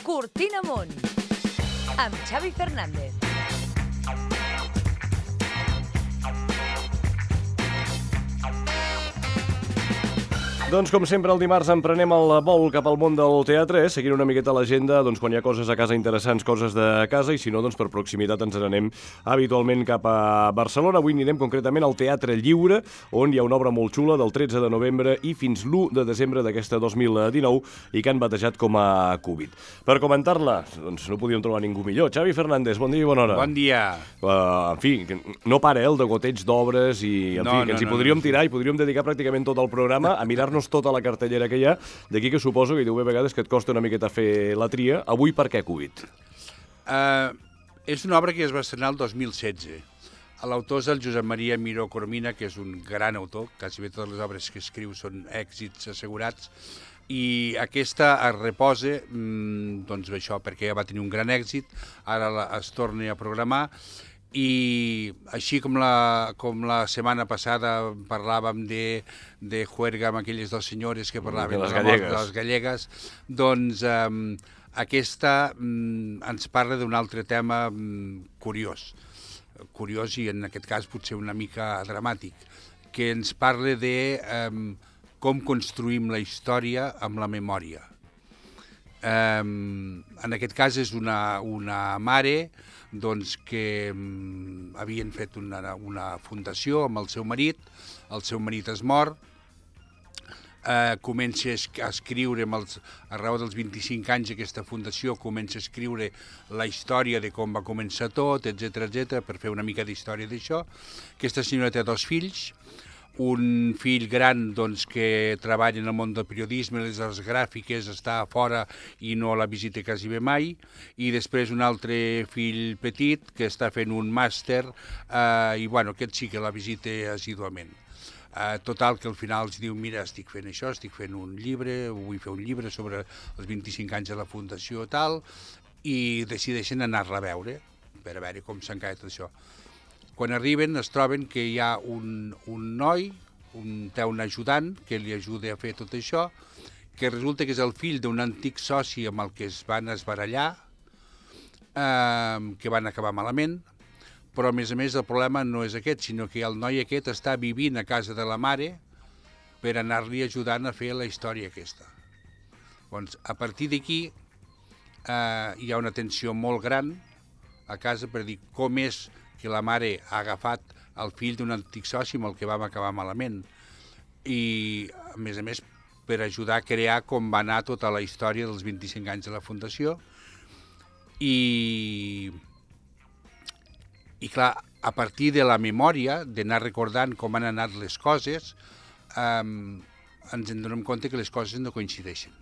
Cortina Amunt, amb Xavi Fernández. Doncs com sempre el dimarts emprenem el vol cap al món del teatre, seguint una miqueta l'agenda quan hi ha coses a casa interessants, coses de casa, i si no, per proximitat ens n'anem habitualment cap a Barcelona. Avui anirem concretament al Teatre Lliure, on hi ha una obra molt xula del 13 de novembre i fins l'1 de desembre d'aquesta 2019 i que han batejat com a Covid. Per comentar-la, no podíem trobar ningú millor. Xavi Fernández, bon dia i bona hora. Bon dia. En fi, no para el degoteig d'obres i en fi, que ens hi podríem tirar i podríem dedicar pràcticament tot el programa a mirar-nos tota la cartellera que hi ha, d'aquí que suposo que hi deu haver vegades que et costa una miqueta fer la tria. Avui per què Covid? És una obra que es va estrenar el 2016. L'autor és el Josep Maria Miró Coromina, que és un gran autor, quasi bé totes les obres que escriu són èxits assegurats, i aquesta es reposa, doncs això, perquè ja va tenir un gran èxit, ara es torna a programar, i així com la setmana passada parlàvem de Juerga amb aquelles dues senyores que parlaven de les gallegues, doncs aquesta ens parla d'un altre tema curiós i en aquest cas potser una mica dramàtic, que ens parla de com construïm la història amb la memòria. En aquest cas és una mare doncs, que havien fet una fundació amb el seu marit es mor, comença a escriure, a raó dels 25 anys aquesta fundació, comença a escriure la història de com va començar tot, etc per fer una mica d'història d'això. Aquesta senyora té 2 fills, un fill gran doncs, que treballa en el món del periodisme, les arts gràfiques, està a fora i no la visita quasi bé mai, i després un altre fill petit que està fent un màster i bueno, aquest sí que la visita assíduament. Total, que al final els diu, mira, estic fent això, estic fent un llibre, vull fer un llibre sobre els 25 anys de la fundació tal, i decideixen anar-la a veure, per a veure com s'encalla tot això. Quan arriben es troben que hi ha un noi, té un ajudant que li ajuda a fer tot això, que resulta que és el fill d'un antic soci amb el que es van esbarallar, que van acabar malament, però a més el problema no és aquest, sinó que el noi aquest està vivint a casa de la mare per anar-li ajudant a fer la història aquesta. Doncs a partir d'aquí hi ha una tensió molt gran a casa per dir com és que la mare ha agafat el fill d'un antic soci amb el que vam acabar malament. I, a més, per ajudar a crear com va anar tota la història dels 25 anys de la Fundació. I clar, a partir de la memòria, d'anar recordant com han anat les coses, ens en donem compte que les coses no coincideixen.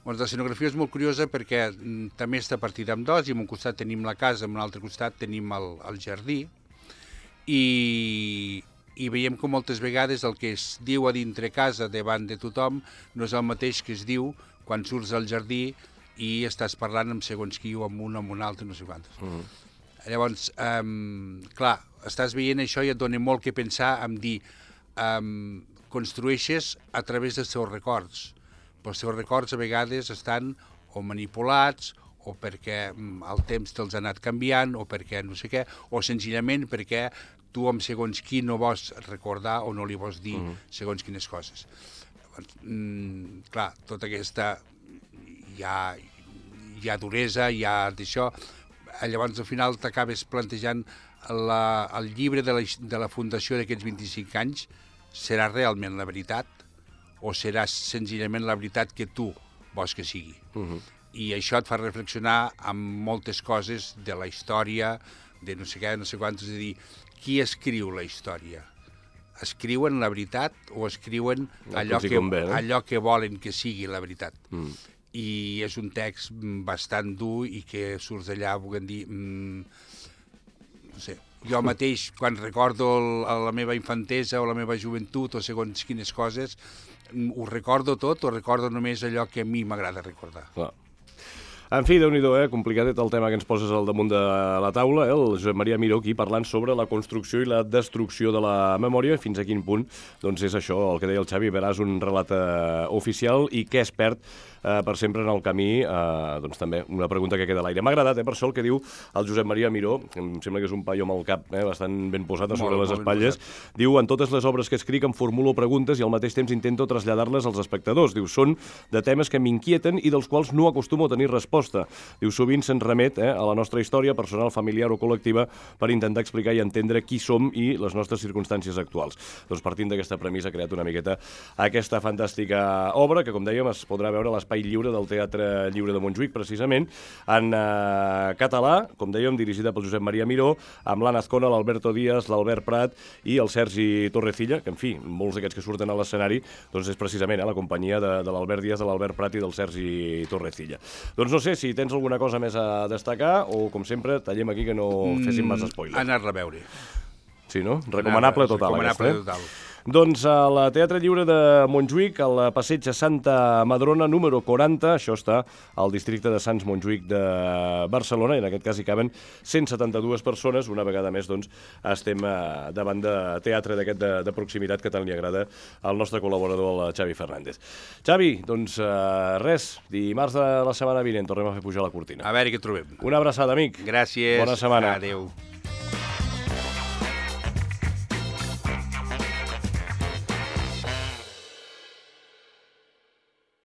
La escenografia és molt curiosa perquè també està partida en 2, i en un costat tenim la casa, en un altre costat tenim el jardí, i veiem que moltes vegades el que es diu a dintre casa davant de tothom no és el mateix que es diu quan surts al jardí i estàs parlant amb segons qui o amb un o amb un altre, no sé quantes. Llavors, clar, estàs veient això i et dona molt que pensar en dir construeixes a través dels teus records. Però els seus records a vegades estan o manipulats, o perquè el temps te'ls ha anat canviant, o perquè no sé què, o senzillament perquè tu amb segons qui no vols recordar o no li vols dir segons quines coses. Clar, tota aquesta hi ha duresa, hi ha d'això, llavors al final t'acabes plantejant el llibre de la fundació d'aquests 25 anys serà realment la veritat, o serà senzillament la veritat que tu vols que sigui. I això et fa reflexionar amb moltes coses de la història, de no sé què, no sé quantos, és a dir, qui escriu la història? Escriuen la veritat o escriuen allò que volen que sigui la veritat? I és un text bastant dur i que surts d'allà, volent dir, no sé, jo mateix, quan recordo la meva infantesa o la meva joventut o segons quines coses, ho recordo tot o recordo només allò que a mi m'agrada recordar? En fi, Déu-n'hi-do, complicadet el tema que ens poses al damunt de la taula, el Josep Maria Miró aquí parlant sobre la construcció i la destrucció de la memòria, fins a quin punt doncs és això, el que deia el Xavi, veràs un relat oficial i què es perd per sempre en el camí, doncs també una pregunta que queda a l'aire. M'ha agradat, per això el que diu el Josep Maria Miró, em sembla que és un paio amb el cap bastant ben posat a sobre les espatlles, diu, en totes les obres que escric em formulo preguntes i al mateix temps intento traslladar-les als espectadors. Diu, són de temes que m'inquieten i dels quals no acostumo a tenir resposta. Diu, sovint se'n remet a la nostra història personal, familiar o col·lectiva per intentar explicar i entendre qui som i les nostres circumstàncies actuals. Doncs partint d'aquesta premissa ha creat una miqueta aquesta fantàstica obra que, com dèiem, es podrà veure a l'Espai Lliure del Teatre Lliure de Montjuïc, precisament, en català, com dèiem, dirigida pel Josep Maria Miró, amb l'Anna Azcona, l'Alberto Díaz, l'Albert Prat i el Sergi Torrecilla, que, en fi, molts d'aquests que surten a l'escenari, doncs és precisament la companyia de l'Albert Díaz, de l'Albert Prat i del Sergi Torrecilla. Doncs no sé si tens alguna cosa més a destacar o, com sempre, tallem aquí que no féssim massa spoilers. Anar-la a veure. Sí, no? Recomanable total. Recomanable total. Doncs al Teatre Lliure de Montjuïc, al passeig a Santa Madrona, número 40, això està al districte de Sants Montjuïc de Barcelona, i en aquest cas hi caben 172 persones. Una vegada més, doncs, estem davant de teatre d'aquest de proximitat que tant li agrada al nostre col·laborador, el Xavi Fernández. Xavi, doncs res, dimarts de la setmana vinent tornem a fer pujar la cortina. A veure què trobem. Una abraçada, amic. Gràcies. Bona setmana. Adéu.